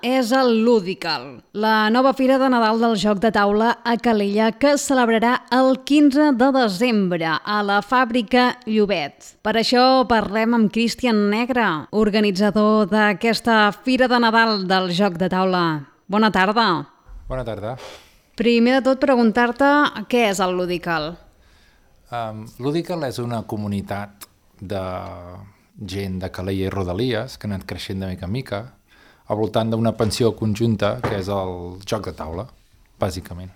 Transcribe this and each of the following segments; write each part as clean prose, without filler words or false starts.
És el Ludical, la nova fira de Nadal del joc de taula a Calella que es celebrarà el 15 de desembre a la Fàbrica Llobet. Per això parlem amb Cristian Negre, organitzador d'aquesta fira de Nadal del joc de taula. Bona tarda. Bona tarda. Primer de tot, preguntar-te què és el Ludical. Ludical és una comunitat de gent de Calella i Rodalies que ha anat creixent de mica en mica al voltant d'una pensió conjunta que és el joc de taula, bàsicament.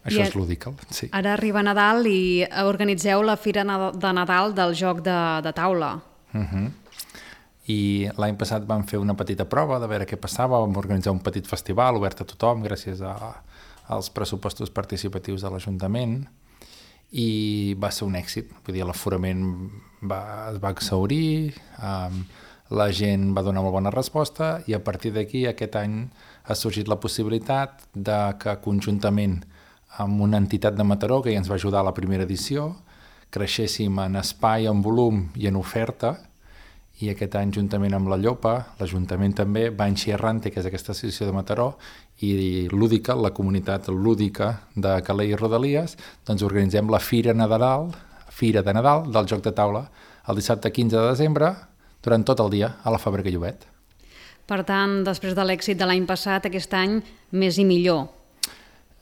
Això és Ludical, sí. Ara arriba Nadal i organitzeu la fira de Nadal del joc de taula. I l'any passat vam fer una petita prova de veure què passava, vam organitzar un petit festival obert a tothom gràcies als pressupostos participatius de l'Ajuntament i va ser un èxit, vull dir, l'aforament es va exhaurir, la gent va donar molt bona resposta i a partir d'aquí aquest any ha sorgit la possibilitat de que conjuntament amb una entitat de Mataró que ja ens va ajudar a la primera edició creixéssim en espai, en volum i en oferta i aquest any juntament amb la Llopa, l'Ajuntament també, Banxi Errante, que és aquesta associació de Mataró, i Ludical, la comunitat lúdica de Calella i Rodalies, doncs organitzem la Fira de Nadal del joc de taula el dissabte 15 de desembre durant tot el dia a la Fàbrica Llobet. Per tant, després de l'èxit de l'any passat, aquest any més i millor.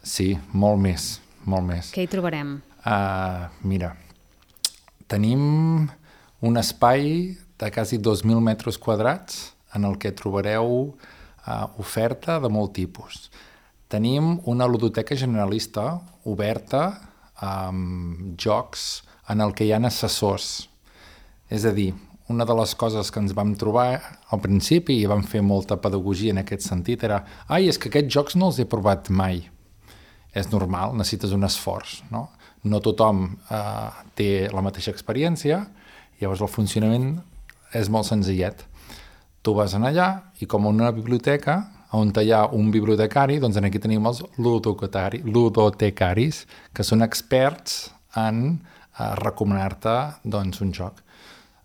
Sí, molt més, molt més. Què hi trobarem? Mira, tenim un espai de quasi 2.000 metres quadrats en el que trobareu oferta de molt tipus. Tenim una ludoteca generalista oberta amb jocs en el que hi ha assessors. És a dir, una de les coses que ens vam trobar al principi i vam fer molta pedagogia en aquest sentit era és que aquests jocs no els he provat mai. És normal, necessites un esforç, no? No tothom té la mateixa experiència, llavors el funcionament és molt senzillet. Tu vas allà i com una biblioteca on hi ha un bibliotecari, doncs aquí tenim els ludotecaris, que són experts en recomanar-te doncs, un joc.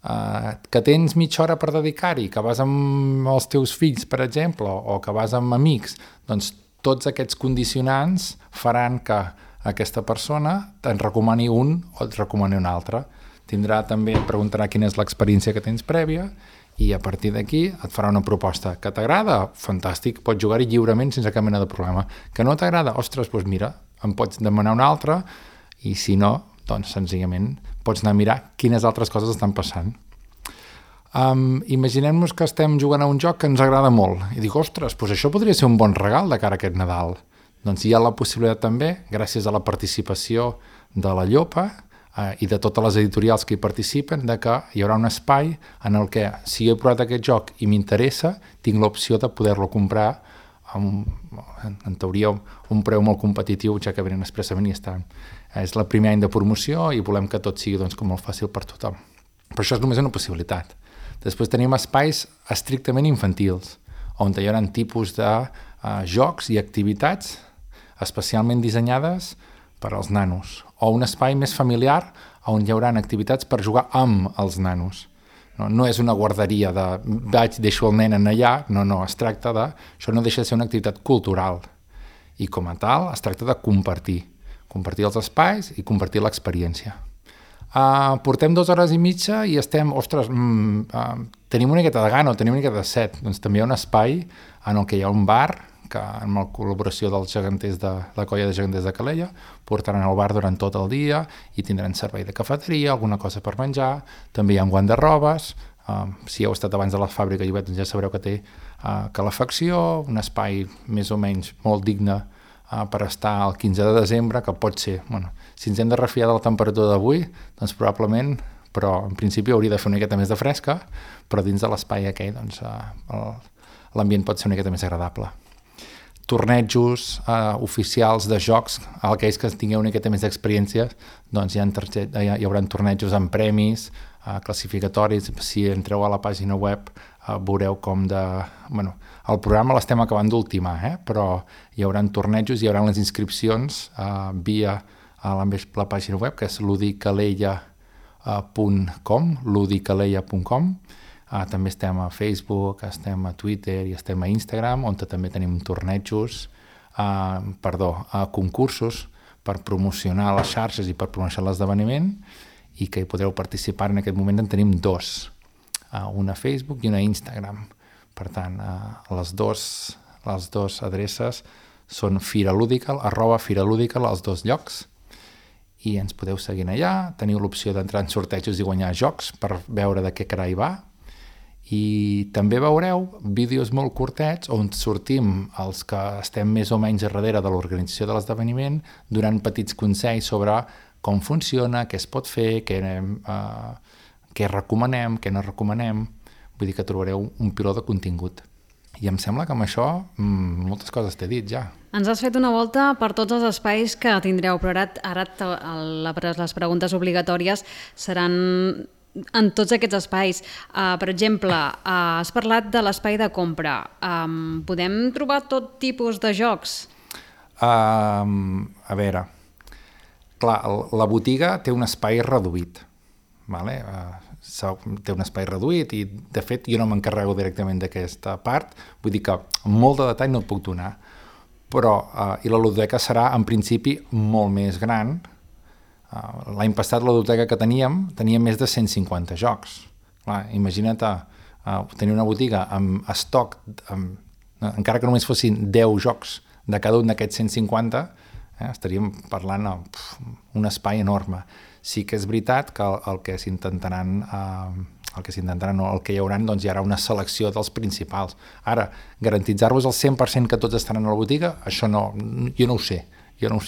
Que tens mitja hora per dedicar-hi, que vas amb els teus fills, per exemple, o que vas amb amics, doncs tots aquests condicionants faran que aquesta persona te'n recomani un o et recomani un altre. Et preguntarà quina és l'experiència que tens prèvia i a partir d'aquí et farà una proposta. Que t'agrada? Fantàstic, pots jugar-hi lliurement sense cap mena de problema. Que no t'agrada? Ostres, doncs mira, em pots demanar una altra i si no, doncs senzillament pots anar a mirar quines altres coses estan passant. Imaginem-nos que estem jugant a un joc que ens agrada molt i dic, ostres, doncs això podria ser un bon regal de cara a aquest Nadal. Doncs hi ha la possibilitat també, gràcies a la participació de la Llopa i de totes les editorials que hi participen, de que hi haurà un espai en el que, si he provat aquest joc i m'interessa, tinc l'opció de poder-lo comprar en teoria un preu molt competitiu, ja que venen expressament i estan. És el primer any de promoció i volem que tot sigui com molt fàcil per tothom. Però això és només una possibilitat. Després tenim espais estrictament infantils, on hi haurà tipus de jocs i activitats especialment dissenyades per als nanos, o un espai més familiar on hi haurà activitats per jugar amb els nanos. No és una guarderia de deixo el nen allà, no, es tracta de... Això no deixa de ser una activitat cultural i com a tal es tracta de compartir els espais i compartir l'experiència. Portem 2 hores i mitja i estem, tenim una miqueta de gana o tenim una miqueta de set. Doncs també hi ha un espai en el que hi ha un bar que amb la col·laboració dels geganters de la colla de geganters de Calella portaran al bar durant tot el dia i tindran servei de cafeteria, alguna cosa per menjar, també hi ha un guardarrobes, si heu estat abans de la fàbrica Llobet ja sabreu que té calefacció, un espai més o menys molt digne per estar el 15 de desembre, que pot ser, si ens hem de refiar de la temperatura d'avui, doncs probablement, però en principi hauria de fer una miqueta més de fresca, però dins de l'espai aquell doncs, l'ambient pot ser una miqueta més agradable. Tornejos oficials de jocs, aquells que tingueu una miqueta més d'experiència, doncs hi haurà tornejos amb premis, classificatoris. Si entreu a la pàgina web veureu com el programa l'estem acabant d'ultimar, però hi haurà tornejos, hi haurà les inscripcions via la pàgina web, que és ludicalella.com, També estem a Facebook, estem a Twitter i estem a Instagram, on també tenim tornejos, concursos per promocionar les xarxes i per promocionar l'esdeveniment, i que hi podreu participar. En aquest moment en tenim 2, una a Facebook i una a Instagram. Per tant, les dues adreces són Firaludical, @Firaludical, als 2 llocs, i ens podeu seguir allà. Teniu l'opció d'entrar en sortejos i guanyar jocs per veure de què carai va, i també veureu vídeos molt curtets on sortim els que estem més o menys a darrere de l'organització de l'esdeveniment, donant petits consells sobre com funciona, què es pot fer, què recomanem, què no recomanem. Vull dir que trobareu un piló de contingut. I em sembla que amb això moltes coses t'he dit ja. Ens has fet una volta per tots els espais que tindreu, però ara les preguntes obligatòries seran en tots aquests espais. Per exemple, has parlat de l'espai de compra. Podem trobar tot tipus de jocs? A veure, clar, la botiga té un espai reduït, vale? Té un espai reduït i, de fet, jo no m'encarrego directament d'aquesta part, vull dir que molt de detall no et puc donar, però i la ludoteca serà, en principi, molt més gran. L'any passat la ludoteca que teníem tenia més de 150 jocs. Clar, imagina't tenir una botiga amb estoc, encara que només fossin 10 jocs de cada un d'aquests 150, estaríem parlant d'un espai enorme. Sí que és veritat que el que hi haurà, doncs hi haurà una selecció dels principals. Ara, garantitzar-vos al 100% que tots estaran a la botiga, això no, jo no ho sé. Però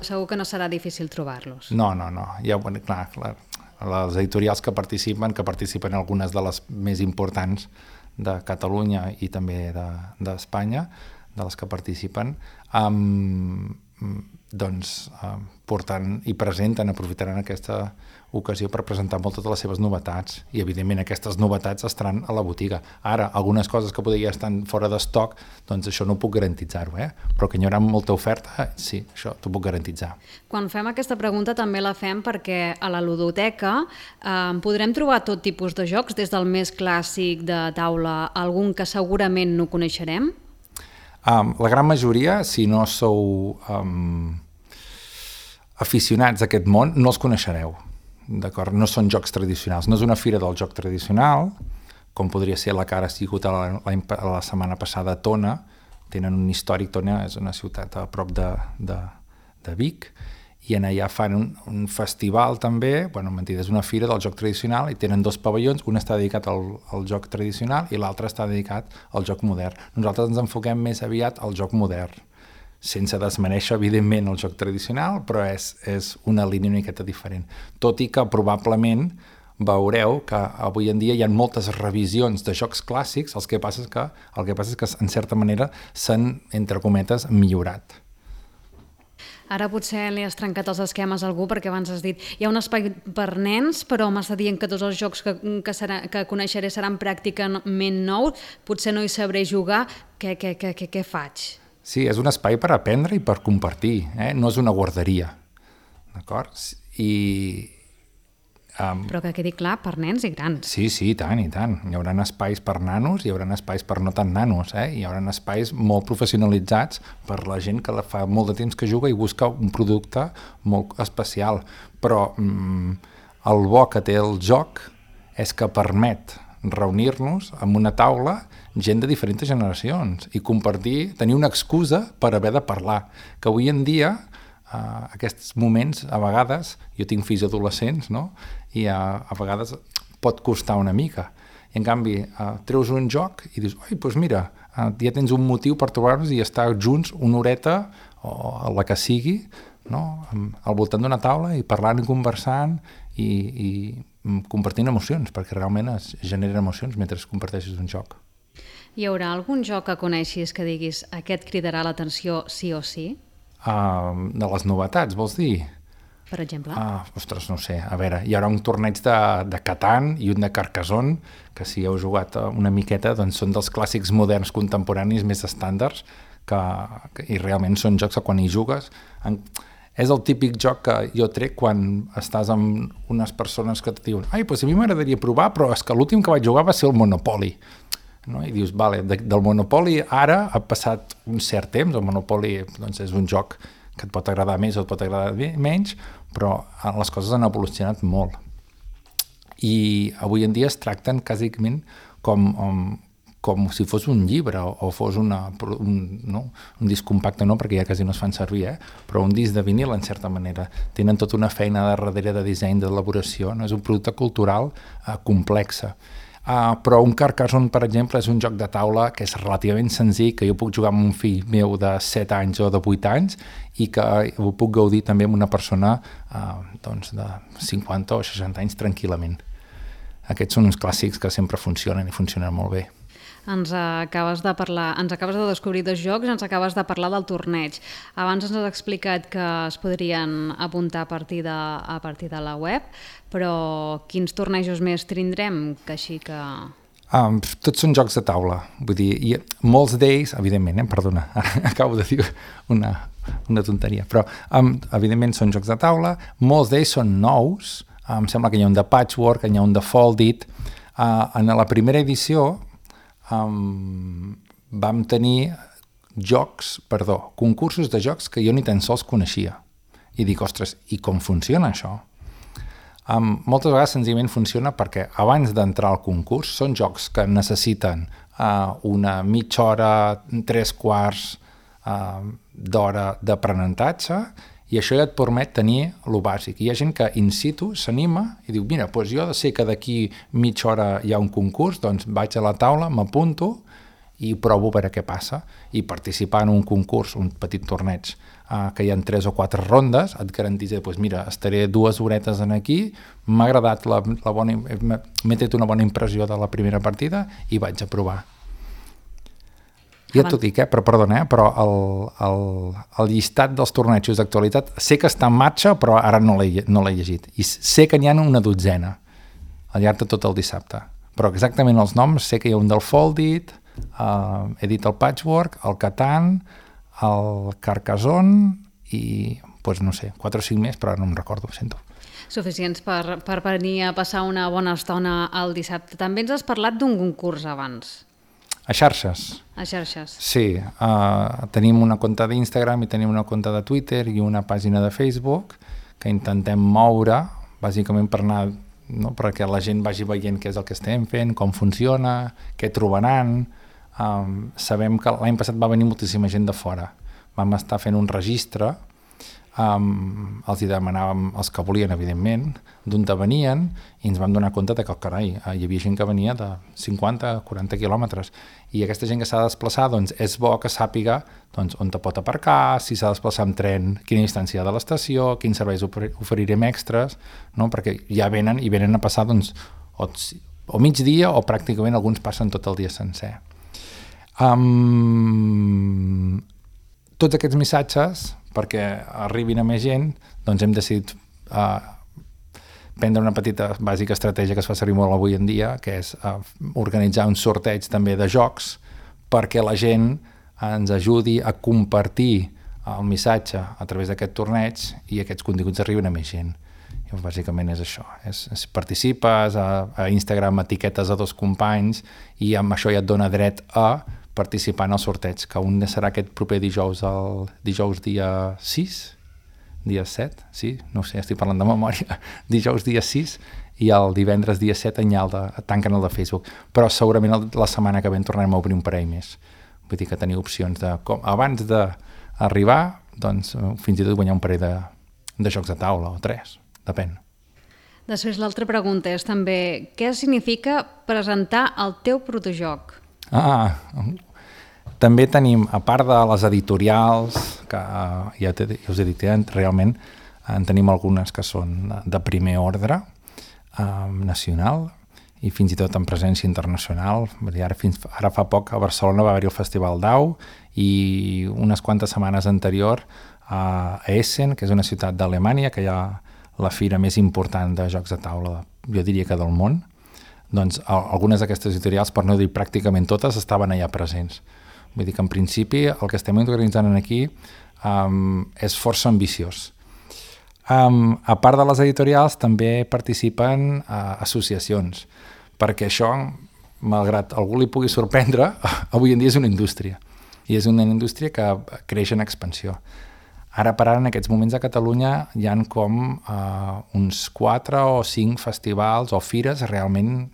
segur que no serà difícil trobar-los. No. Ja, clar, les editorials que participen algunes de les més importants de Catalunya i també d'Espanya, de les que participen, doncs portant i presenten, aprofitaran aquesta ocasió per presentar moltes de les seves novetats, i evidentment aquestes novetats estaran a la botiga. Ara, algunes coses que podria estar fora d'estoc, doncs això no puc garantitzar-ho, però que hi haurà molta oferta, sí, això t'ho puc garantitzar. Quan fem aquesta pregunta també la fem perquè a la ludoteca podrem trobar tot tipus de jocs, des del més clàssic de taula, algun que segurament no coneixerem? La gran majoria, si no sou aficionats a aquest món, no els coneixereu, d'acord? No són jocs tradicionals, no és una fira del joc tradicional, com podria ser la que ara ha sigut la setmana passada a Tona. Tenen un històric, Tona és una ciutat a prop de Vic, i allà fan un festival també, mentida, és una fira del joc tradicional, i tenen 2 pavellons, un està dedicat al joc tradicional i l'altre està dedicat al joc modern. Nosaltres ens enfoquem més aviat al joc modern, sense desmereixer, evidentment, el joc tradicional, però és una línia una miqueta diferent. Tot i que probablement veureu que avui en dia hi ha moltes revisions de jocs clàssics, el que passa és que en certa manera s'han, entre cometes, millorat. Ara potser li has trencat els esquemes a algú, perquè abans has dit hi ha un espai per nens, però m'està dient que tots els jocs que coneixeré seran pràcticament nous, potser no hi sabré jugar, què faig? Sí, és un espai per aprendre i per compartir, no és una guarderia, d'acord? Però que quedi clar, per nens i grans. Sí, i tant. Hi haurà espais per nanos, hi haurà espais per no tan nanos, hi haurà espais molt professionalitzats per la gent que fa molt de temps que juga i busca un producte molt especial. Però el bo que té el joc és que permet reunir-nos en una taula gent de diferents generacions i compartir, tenir una excusa per haver de parlar, que avui en dia aquests moments, a vegades, jo tinc fills adolescents, no? I a vegades pot costar una mica. I en canvi, treus un joc i dius, doncs mira, ja tens un motiu per trobar-nos i estar junts una horeta, o la que sigui, no? Al voltant d'una taula i parlant i conversant i compartint emocions, perquè realment es generen emocions mentre comparteixes un joc. Hi haurà algun joc que coneixis que diguis aquest cridarà l'atenció sí o sí? De les novetats, vols dir? Per exemple? Ostres, no sé. A veure, hi haurà un torneig de Catan i un de Carcassonne, que si heu jugat una miqueta, doncs són dels clàssics moderns contemporanis més estàndards, i realment són jocs que quan hi jugues És el típic joc que jo trec quan estàs amb unes persones que et diuen doncs a mi m'agradaria provar, però és que l'últim que vaig jugar va ser el Monopoly. No? I dius, vale, del Monopoly ara ha passat un cert temps, el Monopoly doncs, és un joc que et pot agradar més o et pot agradar menys, però les coses han evolucionat molt. I avui en dia es tracten quàsicament com si fos un llibre o fos un disc compacte, no, perquè ja quasi no es fan servir, però un disc de vinil en certa manera. Tenen tota una feina darrere de disseny, d'elaboració, no? És un producte cultural complexe. Però un Carcassonne, per exemple, és un joc de taula que és relativament senzill, que jo puc jugar amb un fill meu de 7 anys o de 8 anys i que ho puc gaudir també amb una persona de 50 o 60 anys tranquil·lament. Aquests són uns clàssics que sempre funcionen i funcionen molt bé. Ens acabes de descobrir 2 jocs i ens acabes de parlar del torneig. Abans ens has explicat que es podrien apuntar a partir de la web, però quins tornejos més tindrem? Que així que... Tots són jocs de taula. Vull dir, molts d'ells, evidentment, perdona, acabo de dir una tonteria, però evidentment són jocs de taula, molts d'ells són nous, em sembla que hi ha un de Patchwork, hi ha un de Foldit. En la primera edició vam tenir concursos de jocs que jo ni tan sols coneixia. I dic, ostres, i com funciona això? Moltes vegades senzillament funciona perquè abans d'entrar al concurs són jocs que necessiten una mitja hora, 3/4 d'hora d'aprenentatge i això ja et permet tenir lo bàsic. Hi ha gent que in situ s'anima i diu, mira, doncs jo sé que d'aquí mitja hora hi ha un concurs, doncs vaig a la taula, m'apunto i provo a veure què passa. I participar en un concurs, un petit torneig, que hi ha 3 o 4 rondes, et garanteix, doncs mira, estaré 2 horetes aquí, m'ha agradat m'he tret una bona impressió de la primera partida i vaig a provar. Ja t'ho dic, però perdona, però el llistat dels tornejos d'actualitat sé que està en marxa, però ara no l'he llegit. I sé que n'hi ha una dotzena al llarg de tot el dissabte. Però exactament els noms, sé que hi ha un del Foldit, he dit el Patchwork, el Catan, el Carcassonne i, doncs no sé, 4 o 5 més, però ara no em recordo, ho sento. Suficients per venir a passar una bona estona el dissabte. També ens has parlat d'un concurs abans. A xarxes. A xarxes. Sí, tenim una compte d'Instagram i tenim una compte de Twitter i una pàgina de Facebook que intentem moure, bàsicament per anar, no, perquè la gent vagi veient què és el que estem fent, com funciona, què trobaran. Sabem que l'any passat va venir moltíssima gent de fora. Vam estar fent un registre, els hi demanàvem els que volien, evidentment, d'on venien, i ens vam donar compte que, carai, hi havia gent que venia de 50-40 quilòmetres, i aquesta gent que s'ha de desplaçar, doncs és bo que sàpiga on te pot aparcar, si s'ha de desplaçar amb tren, quina distància de l'estació, quins serveis oferirem extras, no? Perquè ja venen a passar o migdia o pràcticament alguns passen tot el dia sencer. Tots aquests missatges, perquè arribin a més gent, doncs hem decidit prendre una petita bàsica estratègia que es fa servir molt avui en dia, que és organitzar un sorteig també de jocs perquè la gent ens ajudi a compartir el missatge a través d'aquest torneig i aquests continguts arriben a més gent. I bàsicament és això. Participes, a Instagram etiquetes a 2 companys i amb això ja et dona dret a participar en el sorteig, que un serà aquest proper dijous, el dijous dia 6, dia 7, sí, no sé, estic parlant de memòria, dijous dia 6 i el divendres dia 7 tanquen el de Facebook, però segurament la setmana que ve tornarem a obrir un parell més. Vull dir que teniu opcions de, abans d'arribar, doncs fins i tot guanyar un parell de jocs de taula o 3, depèn. Després l'altra pregunta és també, què significa presentar el teu protojoc? També tenim, a part de les editorials, que ja us he dit, realment en tenim algunes que són de primer ordre nacional i fins i tot en presència internacional. Ara fa poc a Barcelona va haver-hi el Festival d'Au i unes quantes setmanes anterior a Essen, que és una ciutat d'Alemanya, que hi ha la fira més important de jocs de taula, jo diria que del món. Doncs algunes d'aquestes editorials, per no dir pràcticament totes, estaven allà presents. Vull dir que en principi el que estem organitzant aquí és força ambiciós. A part de les editorials, també participen associacions, perquè això, malgrat algú li pugui sorprendre, avui en dia és una indústria, i és una indústria que creix en expansió. Ara per ara, en aquests moments a Catalunya, hi ha com uns 4 o 5 festivals o fires realment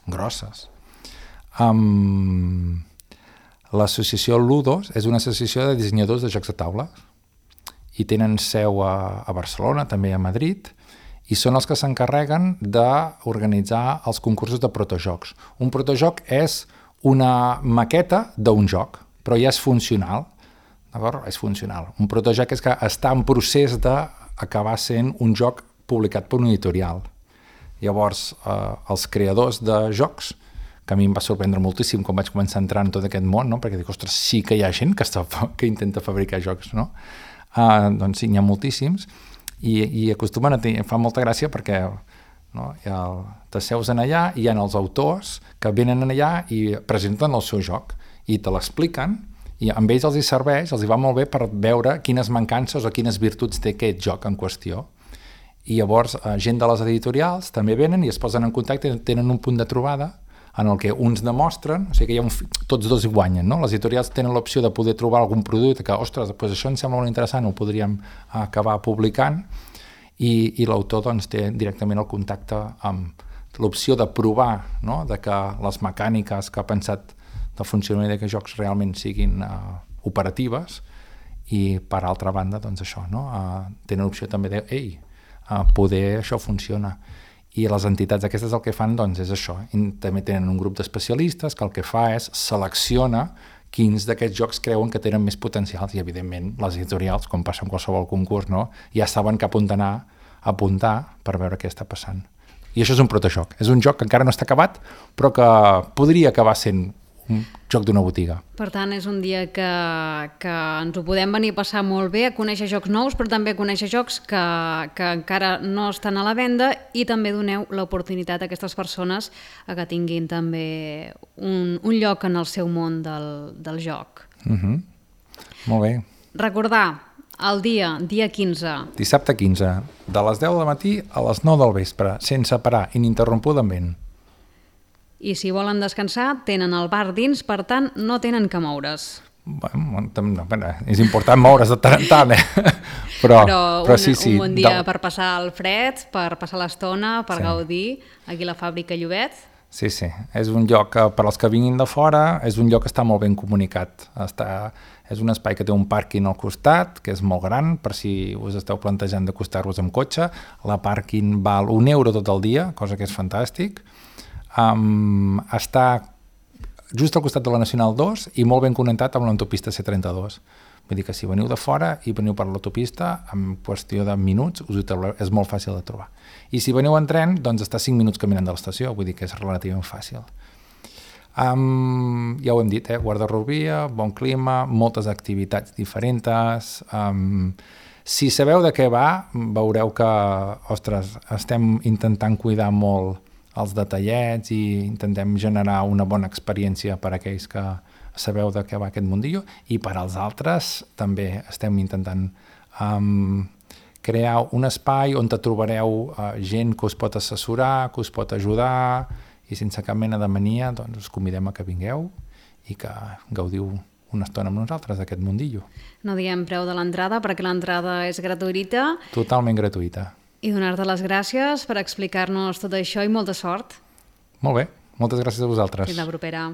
grosses. L'associació Ludos és una associació de dissenyadors de jocs de taula, i tenen seu a Barcelona, també a Madrid, i són els que s'encarreguen d'organitzar els concursos de protojocs. Un protojoc és una maqueta d'un joc, però ja és funcional, d'acord? És funcional. Un protojoc és que està en procés d'acabar sent un joc publicat per un editorial. Llavors, els creadors de jocs, que a mi em va sorprendre moltíssim quan vaig començar a entrar en tot aquest món, no? Perquè dic, ostres, sí que hi ha gent que intenta fabricar jocs, no? Doncs sí, n'hi ha moltíssims, i acostumen a tenir, fa molta gràcia perquè t'asseus en allà i hi ha els autors que venen allà i presenten el seu joc i te l'expliquen, i amb ells els hi serveix, els hi va molt bé per veure quines mancances o quines virtuts té aquest joc en qüestió. I llavors gent de les editorials també venen i es posen en contacte i tenen un punt de trobada en el que uns demostren, o sigui que tots dos hi guanyen, no? Les editorials tenen l'opció de poder trobar algun producte que, ostres, doncs això ens sembla molt interessant, ho podríem acabar publicant, i l'autor doncs, té directament el contacte amb l'opció de provar, no? De que les mecàniques que ha pensat de funcionament d'aquests jocs realment siguin operatives, i per altra banda, doncs això, no? Tenen l'opció també de, poder això funciona. I les entitats aquestes el que fan doncs, és això. I també tenen un grup d'especialistes que el que fa és selecciona quins d'aquests jocs creuen que tenen més potencials, i evidentment les editorials, com passa en qualsevol concurs, no? Ja saben cap on anar a apuntar per veure què està passant. I això és un protojoc. És un joc que encara no està acabat, però que podria acabar sent un joc d'una botiga. Per tant, és un dia que ens ho podem venir a passar molt bé, a conèixer jocs nous, però també a conèixer jocs que encara no estan a la venda, i també doneu l'oportunitat a aquestes persones a que tinguin també un lloc en el seu món del joc. Molt bé. Recordar, el dia 15. Dissabte 15, de les 10 del matí a les 9 del vespre, sense parar, ininterrompudament. I si volen descansar, tenen el bar dins, per tant, no tenen que moure's. Bueno, és important moure's de tant en tant, però sí, un bon dia per passar el fred, per passar l'estona, per gaudir, aquí a la fàbrica Llobet. Sí, és un lloc que per als que vinguin de fora, és un lloc que està molt ben comunicat. És un espai que té un pàrquing al costat, que és molt gran, per si us esteu plantejant d'acostar-vos amb cotxe. La pàrquing val €1 tot el dia, cosa que és fantàstic. Està just al costat de la Nacional 2 i molt ben connectat amb l'autopista C32. Vull dir que si veniu de fora i veniu per l'autopista, en qüestió de minuts és molt fàcil de trobar. I si veniu en tren, doncs està 5 minuts caminant de l'estació, vull dir que és relativament fàcil. Ja ho hem dit, guarda-rovia, bon clima, moltes activitats diferents. Si sabeu de què va, veureu que, ostres, estem intentant cuidar molt els detallets i intentem generar una bona experiència per a aquells que sabeu de què va aquest mundillo, i per als altres també estem intentant crear un espai on trobareu gent que us pot assessorar, que us pot ajudar, i sense cap mena de mania doncs us convidem a que vingueu i que gaudiu una estona amb nosaltres d'aquest mundillo. No diguem preu de l'entrada perquè l'entrada és gratuïta. Totalment gratuïta. I donar-te les gràcies per explicar-nos tot això i molta sort. Molt bé, moltes gràcies a vosaltres. Fins la propera.